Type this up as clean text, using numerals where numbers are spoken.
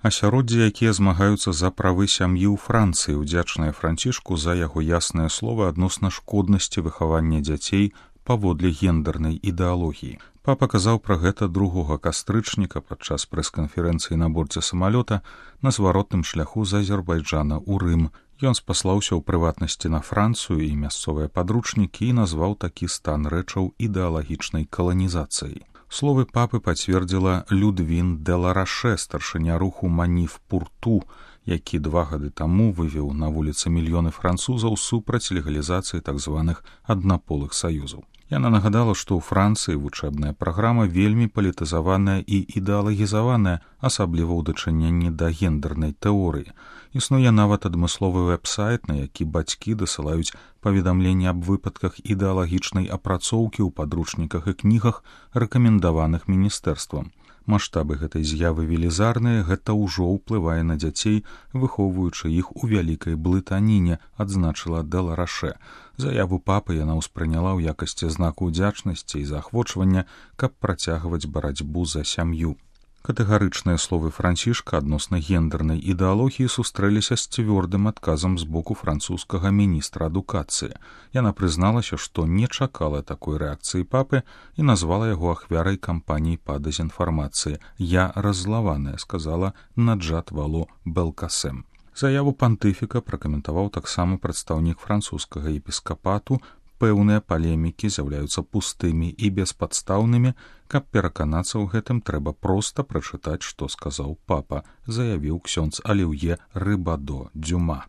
Асяроддзе, якія змагаюцца за правы сям'і ў Францыі, удзячныя Францішку за яго ясныя словы адносна шкоднасці выхавання дзяцей паводле гендернай ідэалогіі. Папа казаў пра гэта 2 кастрычніка падчас прэс-канферэнцыі на борце самалёта на зваротным шляху з Азербайджана ў Рым. Ён спаслаўся ў прыватнасці на Францыю і мясцовыя падручнікі і назваў такі стан рэчаў ідэалагічнай каланізацыяй. Словы папы пацвердзіла Людвін де Лараше, старшыня руху Маніф Пурту, які 2 гады таму вывеў на вуліцы мільёны французаў супраць легалізацыі так званых аднаполых саюзаў. Яна нагадала, што ў Францыі вучэбная праграма вельмі палітызаваная і ідэалагізаваная, асабліва ў дачыненні да гендернай тэорыі. Існуе нават адмысловы вэб-сайт, на які бацькі дасылаюць паведамленні аб выпадках ідэалагічнай апрацоўкі ў падручніках і кнігах, рэкамендаваных міністэрствам. Маштабы гэтай з'явы велізарныя, гэта ўжо ўплывае на дзяцей, выхоўваючы іх у вялікай блытаніне, адзначыла де Лараше. Заяву папы яна ўспрыняла ў якасці знаку ўдзячнасці і заахвочвання, каб працягваць барацьбу за сям'ю. Катэгарычныя словы Францішка адносна гендернай ідэалогіі сустрэліся з цвёрдым адказам з боку французскага міністра адукацыі. Яна прызналася, што не чакала такой рэакцыі папы і назвала яго ахвярай кампаніі па дэзінфармацыі. «Я раззлаваная», сказала Наджат Вало Белкасем. Заяву пантыфіка пракаментаваў таксама прадстаўнік французскага епіскапату. Пэўныя палемікі з'яўляюцца пустымі і беспадстаўнымі. Каб пераканацца ў гэтым, трэба проста прачытаць, што сказаў папа, заявіў ксёндз Аліўе Рыбадо Дюма.